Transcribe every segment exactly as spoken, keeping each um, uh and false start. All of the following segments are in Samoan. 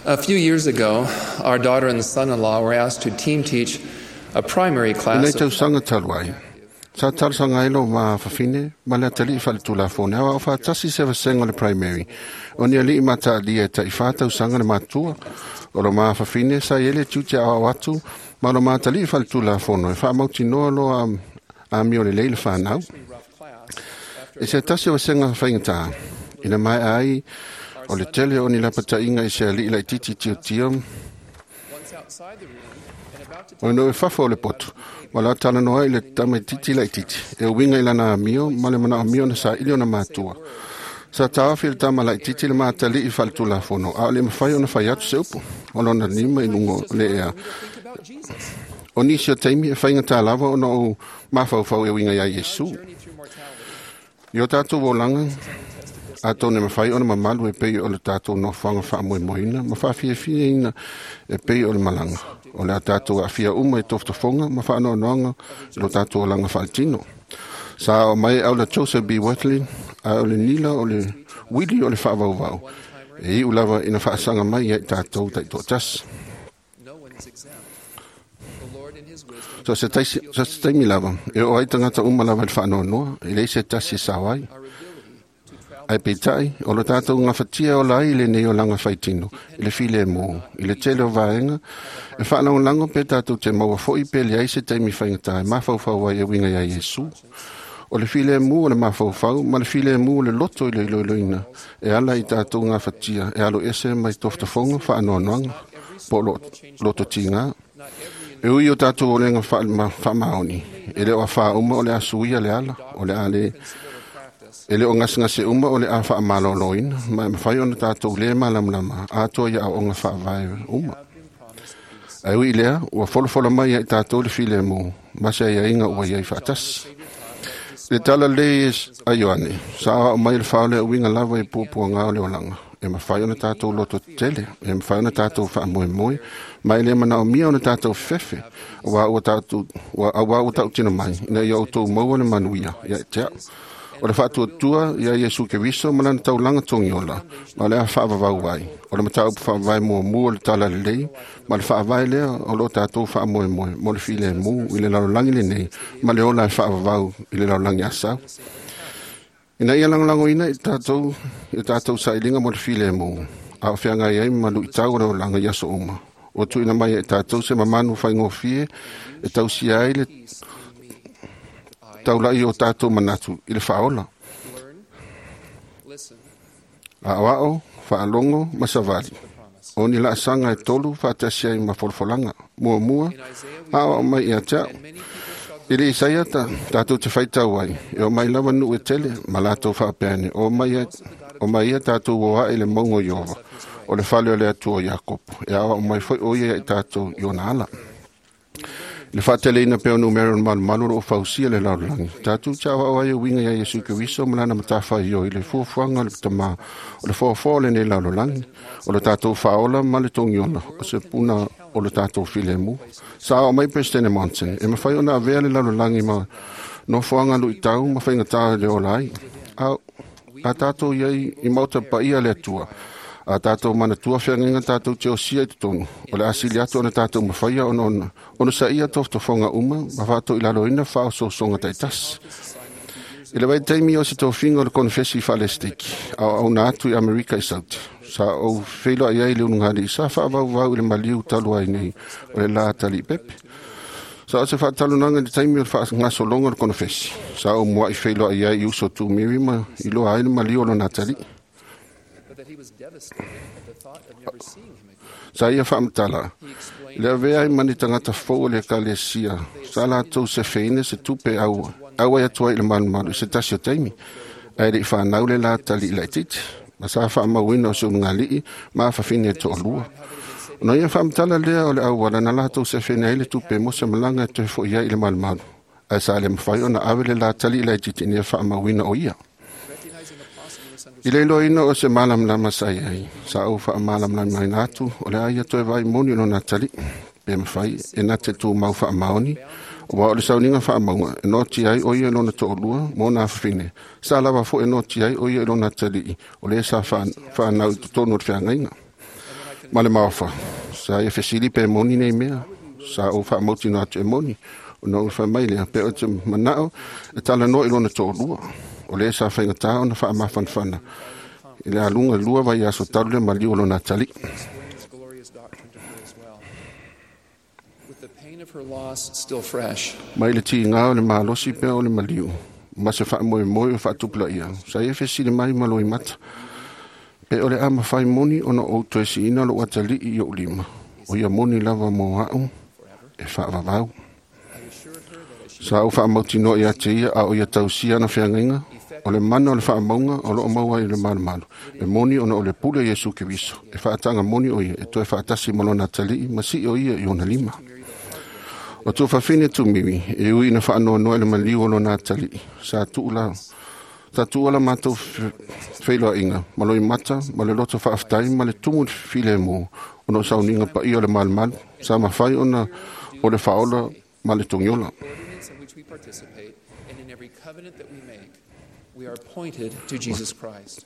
A few years ago, our daughter and son-in-law were asked to team teach a primary I class nei of tausaga talu ai. Sa talosaga ai lo mafafine ma le atalii faaletulafono e aoao faatasi se vasega o le primary. O ni alii mataalia e taifā tausaga le matua. O lo mafafine sa i ai le tiute aoao atu ma lo matalii faaletulafono e faamautinoa loa amio lelei le fanau. E se tasi o vasega faigatā ina maea ai o le tele o ni lapataiga i se alii laitiiti tiotio once outside the room and about to o no e fafo o le poto ma la talanoa i le tamaitiiti laitiiti e uiga i lana amio ma le manaomio na saili ona matua. Sa taofi le tama laitiiti le matalii faaletulafono a o le mafai ona fai atu se upu o lona lima i luga o le ea. think about Jesus. O nisi o taimi e faigatā lava ona ou mafaufau e uiga iā Iesu. Journey through mortality. I o tatou olaga atonu e mafai ona mamalu e pei o le tatou nofoaga faamoemoeina ma faafiafiaina e pei o le malaga. O le a tatou aafia uma i tofotofoga ma faanoanoaga i lo tatou olaga faaletino. Sa o mai au le Joseph B. Wirthlin a o le nila o le wili o le faavauvau. E iu lava ina faasaga mai ia i tatou taitoatasi. No one is exempt. The Lord in his wisdom So se taisi, so se taimi lava, e o ai tagata uma lava i le faanoanoa, e leai se tasi e sao ai. our ability to travel Ai peitai, o lo tatou gafatia o lai lenei olaga faitino, i le filemu, i le tele o vaega, e faalagolago pe tatou te maua fo'i pe leai se taimi faigatā e mafaufau ai e uiga iā Iesu. O le filemu o le mafaufau ma le filemu o le loto i le iloiloina, e ala i tatou gafatia, e alo ese mai tofotofoga faanoanoaga, po o lo, loto tigā. not every E ui o tatou olega faamaoni, e le o afā uma o le a suia le ala, o le a le principle or practice E le o gasegase uma o le a faamaloloina, ma e mafai ona tatou lē malamalama atoa ia aoaoga faavae uma. have been promised peace. Ae ui i lea, ua folafola mai ai tatou le filemu, ma se aiaiga ua iai faatasi. Le tala lelei a Ioane, sa aoao mai le faaola e uiga lava i puapuaga o le olaga. E mafai ona tatou loto tele, e mafai ona tatou faamoemoe, ma e le manaomia ona tatou fefe, auā ua tatou, ua, auā ua tautino mai, ina ia outou maua le manuia ia te au. O le faatuatua ia Iesu Keriso ma lana taulaga togiola, ma le a faavavau ai. O le mataupu faavae muamua o le tala lelei, ma le faavae lea o loo tatou faamoemoe mo le filemu i le lalolagi lenei, ma le ola e faavavau i le lalolagi asau. Ina ia lagolagoina i tatou, i tatou sailiga mo le filemu, a o feagai ai ma luitau o le olaga i aso uma. Ua tuuina mai e tatou se mamanu faigofie e tausia ai le taulai o tatou manatu i le faaola. Learn, listen Aoao, faalogo ma savali. to the promise. O ni laasaga e tolu faatasi ai ma folafolaga. Muamua, In Isaiah we aoao mai ia te au. and many people shall I le Isaia ta, tatou te faitau ai, e o mai lava nuu e tele, ma latou faapea o mai ia, o mai ia tatou o ae i le mauga o Ieova, o le fale o le Atua o Iakopo, e aoao mai foi o ia i tatou i ona ala. I le faateleina pea o numera o le malumalu o loo fausia le lalolagi. Tatou te aoao ai e uiga ia Iesu Keriso ma lana matafaioi i le fuafuaga o le tamā o le foafoa o lenei lalolagi, o le tatou faaola ma le togiola, o se puna o le tatou filemu. Sa aoao mai President Monson, e mafai ona avea le lalolagi ma nofoaga luitau ma faigatā le ola ai. A, a tatou iai i maota paia le Atua, a tatou manatua feagaiga tatou te osia i totonu, o le a sili atu ona tatou mafaia ona ona, ona saia tofotofoga uma ma faatoilaloina faaosoosoga taitasi. I le vaitaimi o se tofiga o le konefesi faalesiteki, a o auna atu i Amerika i Sauti, sa ou feiloai ai i le ulugalii sa faavauvau i le maliu talu ai nei o le la taliipepe. Sa o se faatalonaga i le taimi o le faagasologa o le konefesi. Sa ou muai feiloai ai i uso tumiri ma iloa ai le maliu o lona atalii. but that he was devastated at the thought of never seeing him again. Sa ia faamatala, He explained le avea ai ma ni tagata fou o le ekalesia, sa latou sefeina se tupe au, auai atu ai i le malumalu i se tasi o taimi, ae le'i fanau le la talii laitiiti, ma sa faamauina o se ulugalii ma afafine e toalua. Ona ia faamatala lea o le auala na latou sefeina ai le tupe mo se malaga e toe fo'i ai i le malumalu, ae sa le mafai ona ave le la talii laitiiti ina ia faamauina o ia. recognizing a possible I misunderstanding. le iloaina o se malamalama sa i ai, sa ou faamalamalamaina atu, o le a ia toe vai moni o lona atalii, pe mafai e na te tumau faamaoni, ua o le sauniga faamauga, e noti ai o ia i lona toalua mo ona afafine. Sa lava foi e noti ai o ia i lona atalii, o le sa wha- whanau i totonu o le feagaiga. And when I Ma le maofa, sa ia fesili pe moni nei mea, sa ou faamautinoa atu e moni, ona ou fai mai lea, pe o te manao e talanoa i lona toalua, o lea sa faigata ona faamafanafana i le aluga lua vaiaso talu le maliu o lona atalii. Explain his glorious doctrine to her as well. With the pain of her loss still fresh, Mai le tiga o le malosi pea o le maliu, ma se faamoemoe o faatupulaia, sa ia fesili mai ma loimata, pe o le a mafai moni ona ou toe siina lou atalii i ou lima, o ia moni lava mo a'u e faavavau. I assured her that as she Sa ou faamautinoa ia te ia a o ia tausia ana feagaiga, o le mana o le faamauga o loo maua ai le malumalu, e moni ona o le pule o Iesu Keriso, e faataga moni o ia e toe faatasi ma lona atalii ma sii o ia i ona lima. O tuafafine Tumivi, e ui ina faanoanoa i le maliu o lona atalii, sa tuu la sa tuua la matou feiloaiga ma loimata ma le loto faafetai ma le tumu filemu ona o sauniga paia o le malumalu, sa mafai ona o le faaola ma le togiola. ordinance in which we participate and in every covenant that we make, we are pointed to Jesus Christ.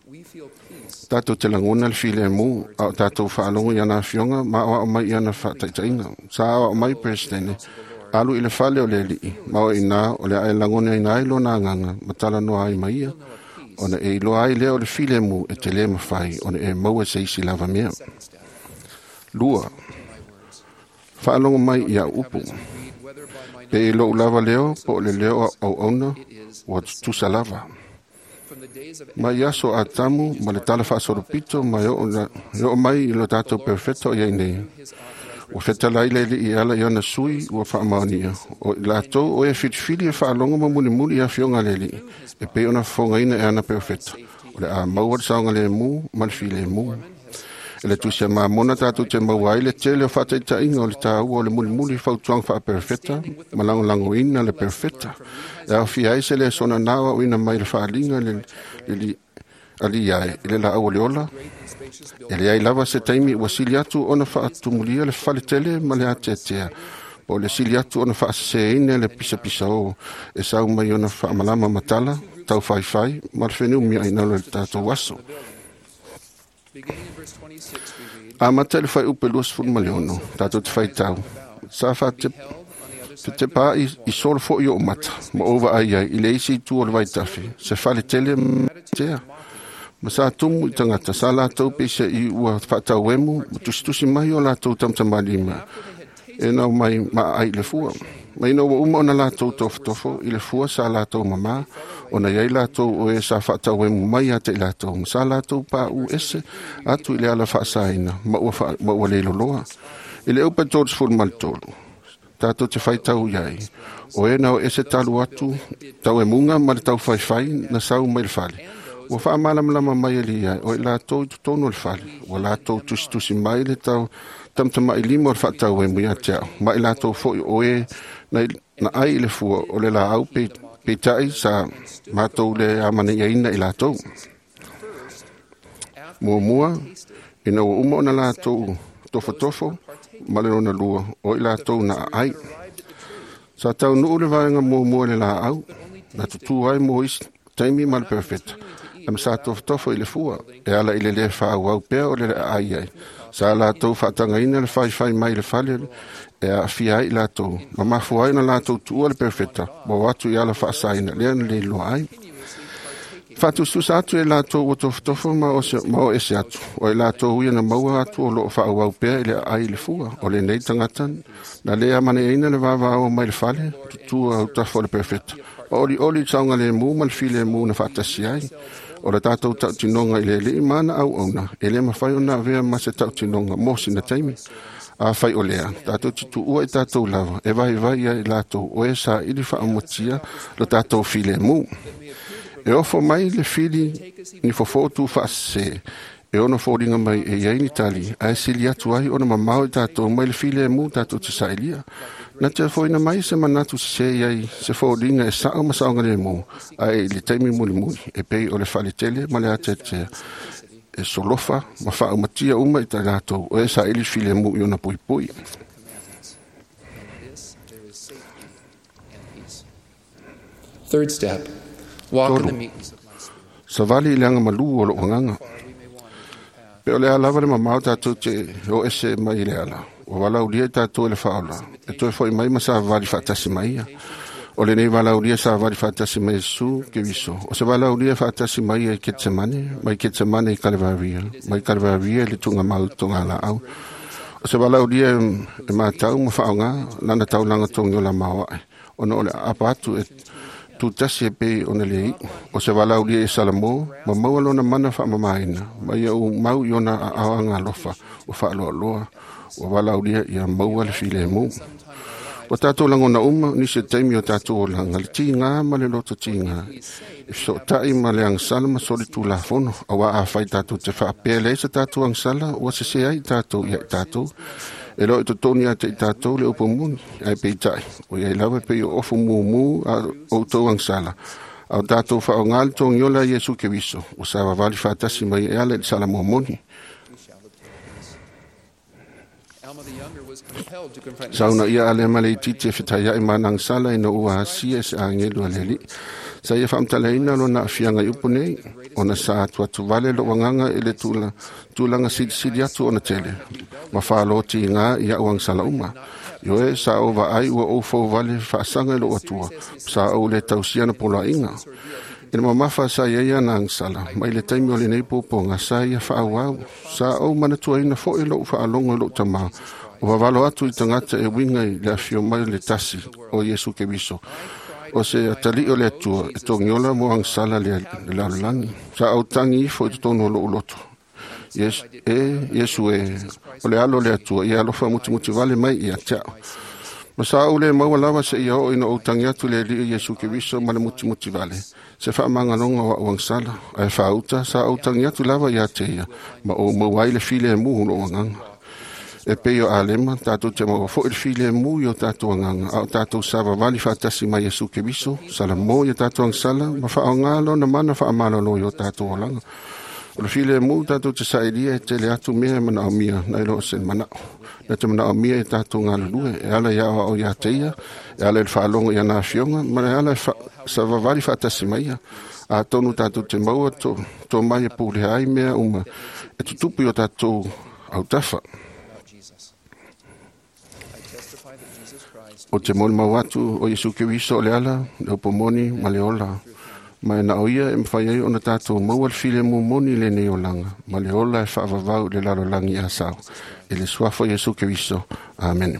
We feel peace Tatou te lagona le filemu a o tatou faalogo i ana afioga ma aoao mai i ana faataitaiga. Sa aoao mai Peresetene, alu i le fale o le alii, ma o inā o le a e lagonaina ai lona agaga ma talanoa ai ma ia, ona e iloa ai lea o le filemu e te lē mafai ona e maua se isi lava mea. second step Lua, to my words. faalogo mai i au upu. Covenants we read, whether by my Pe i name lou lava leo po o le leo a auauna, ua tutusa lava. from the days of Mai aso Atamu ma le tala faasolopito ma e oo la- e oo mai i lo tatou perofeta o iai nei. his authorized Ua fetalai le alii e ala i ona sui ua faamaonia. O i latou o e filifili e faalogo ma mulimuli i afioga a le alii, e pei ona fofogaina e ana perofeta. O le a maua le saogalemu ma le filemu. E le tusi a Mamona tatou te maua ai le tele o faataitaiga o le tāua o le mulimuli fautuaga faaperofeta ma lagolagoina le perofeta. E aofia ai se le sona nao aoina mai le faaliga le, le, le alii ai i le laau o le ola. great and spacious E building leai lava se taimi ua sili atu ona faatumulia le faletele ma le ateatea, po o le sili atu ona faaseseina le pisapisa o e sau mai ona faamalama matala, taufaifai ma le feneumiaʻi o le tatou aso. Beginning in verse twenty-six, we read, Amata i le fuaiupu e luasefulu ma le ono, tatou te faitau. Sa faate Held on the other side te pā i, i solo foʻi o mata, ma ou vaai ai i le isi itu o le vaitafe, se faletele ma tea. Ma sa tumu i tagata, sa latou peisa i ua faatauemu, ma tusitusi mai o latou tamatamalima, e nau mai ma ai le fua. Ma ina ua uma ona latou tofotofo i le fua sa latou mamā, ona iai latou o e sa faatauemu mai ia te i latou, ma sa latou paʻu ese atu i le ala faasaina, ma ua, fa, ma ua leiloloa. I le upa tolu ma le tolu, tatou te faitau iai, o e na o ese talu atu, tau e munga ma le taufaifai na sau mai le fale. Ua faamalamalama mai e lia, o i latou i totonu o le fale, ua latou tusitusi mai le tau tamatamaʻi lima o le faatauemu ia te au, ma i latou foʻi o e na, na ai i le fua o le laau pe, peitai sa matou le amanaiaina i latou. first, after Muamua, ina ua uma ona latou tofotofo ma le lona lua, o i latou na aai. arrived at the tree, Sa taunuu le vaega muamua i le laau, na tutū ai mo isi taimi ma le perofeta, a ma sa tofotofo i le fua, e ala i le lē faaauau pea o le aai ai. Sa latou faatagaina le faifai mai le fale e aafia ai i latou, ma mafua ai ona latou tuua le perofeta, ma o atu i ala faasaina lea na leiloa ai. continuously partaking Faatususa atu e latou ua tofotofo ma o, se, ma o ese atu, o i latou ia na maua atu o loo faaauau pea i le aai i le fua, o lenei tagata na lē amaneaina le vavao mai le fale, tutua autafa o le perofeta. O olioli i le saogalemu ma le filemu na faatasi ai. O le tatou tautinoga i le alii ma ana auauna, e lē mafai ona avea ma se tautinoga mo sina taimi. Afai o lea, tatou te tuua i tatou lava, e vaivai ai i latou o e saili faaumatia lo tatou filemu. E ofo mai le fili ni fofo tu faasese, e ono foliga mai e iai ni tali, ae sili atu ai ona mamao i tatou mai le filemu tatou te sailia. Na te foina mai se manatu sese iai se foliga e sao ma saogalemu, ae i le taimi mulimuli, e pei o le faletele ma le ateatea, e solofa ma faaumatia uma i ta latou o e saili filemu i ona puipui. the commandments. In this there is safety and peace. Third step, walk in the meekness of my spirit. Savali i le agamalu o lou agaga. Far we may wander from the path. Pe Pe o le a lava le mamao tātou te o ese mai i le ala. Ua valaulia i tātou e le faaola. E toe foi mai ma savavali faatasi mai ia. O lenei valaulia savavali faatasi mai Iesu Keriso. O se valaulia faatasi mai ia i Ketsemane, mai Ketsemane i Kalevaria, mai Kalevaria i le tuugamau i togalaau. O se valaulia e matau ma faaaoga lana taulaga togiola maoae, ona o le aapa atu e tutasi e pei ona le iu. O se valaulia i Salamo, ma maua lona mana faamamaina, ma ia ou mau i ona aao agalofa ua faaloaloa, ua valaulia ia maua le filemu. Ua tātou lagona uma, nisi o taimi o tātou olaga, le tiga ma le loto tiga, e fesootai ma le agasala ma soli tulafono, auā afai tātou te faapea e leai se tātou agasala, ua sese ai tātou ia i tātou. E le o i totonu ia te i tātou le upu moni, ae peitai, o iai lava e pei o ofu mumu a outou agasala, a o tātou faaaoga le togiola a Iesu Keriso, ua savavali faatasi mai e ala i le salamo moni. We shall obtain peace. Alma the Younger was compelled to confront Sauna ia ale ma le itiiti e fetaiai ma ana agasala ina ua asia e se agelu a le Alii. Sa ia faamatalaina lona aafiaga i upu nei, ona sa atuatu vale lou agaga i le tula, tulaga silisili atu ona tele, ma faalotiga i a'u agasala uma. Ioe, sa ou vaai ua ou fouvale faasaga i lou Atua, sa ou le tausia na poloaiga. I le mamafa sa iai ana agasala, mai le taimi o lenei puapuaga sa ia faaauau, sa ou manatuaina foi lou faalogo i lou tamā, o vavalo atu i tagata e uiga i le afio mai o le tasi o Iesu Keriso, o se atalii o le Atua e togiola mo agasala le, le lalolagi. Sa ou tagi ifo i totonu o lou loto. Yes, e Iesu e, o le alo o le Atua, ia alofa mutimuti vale mai ia te a'u. Ma sa ou le maua lava seia oo ina ou tagi atu i le Alii Iesu Keriso ma le mutimuti vale, se faamagaloga o a'u agasala, ae faauta sa ou tagi atu lava ia te ia, ma ou maua ai le filemu o lou agaga. E pei o Alema, tātou te maua foi le filemu i o tātou agaga, a o tātou savavali faatasi mai Iesu Keriso, salamo i o tātou agasala, ma faaaoga lona mana faamalolo i o tātou olaga. O le filemu tātou te sailia e tele atu mea e manaomia nai lo o se manao. Na te manaomia e tātou galulue, e ala i aoao ia te ia, e ala i le faalogo i ana afioga, ma le ala e fa, savavali faatasi mai ia. Atonu tātou te maua to, to mai e pulea ai mea uma, e tutupu i o tātou autafa. about Jesus. I testify that Jesus Christ O te molimau atu o Iesu Keriso o le ala, le upu moni ma le ola. Ma e na o ia e mawhai ai ona tātou maua le filemu moni lenei olaga, ma le ola e faavavau i le lalolagi a sao. I le suafa o Iesu Keriso. Amene.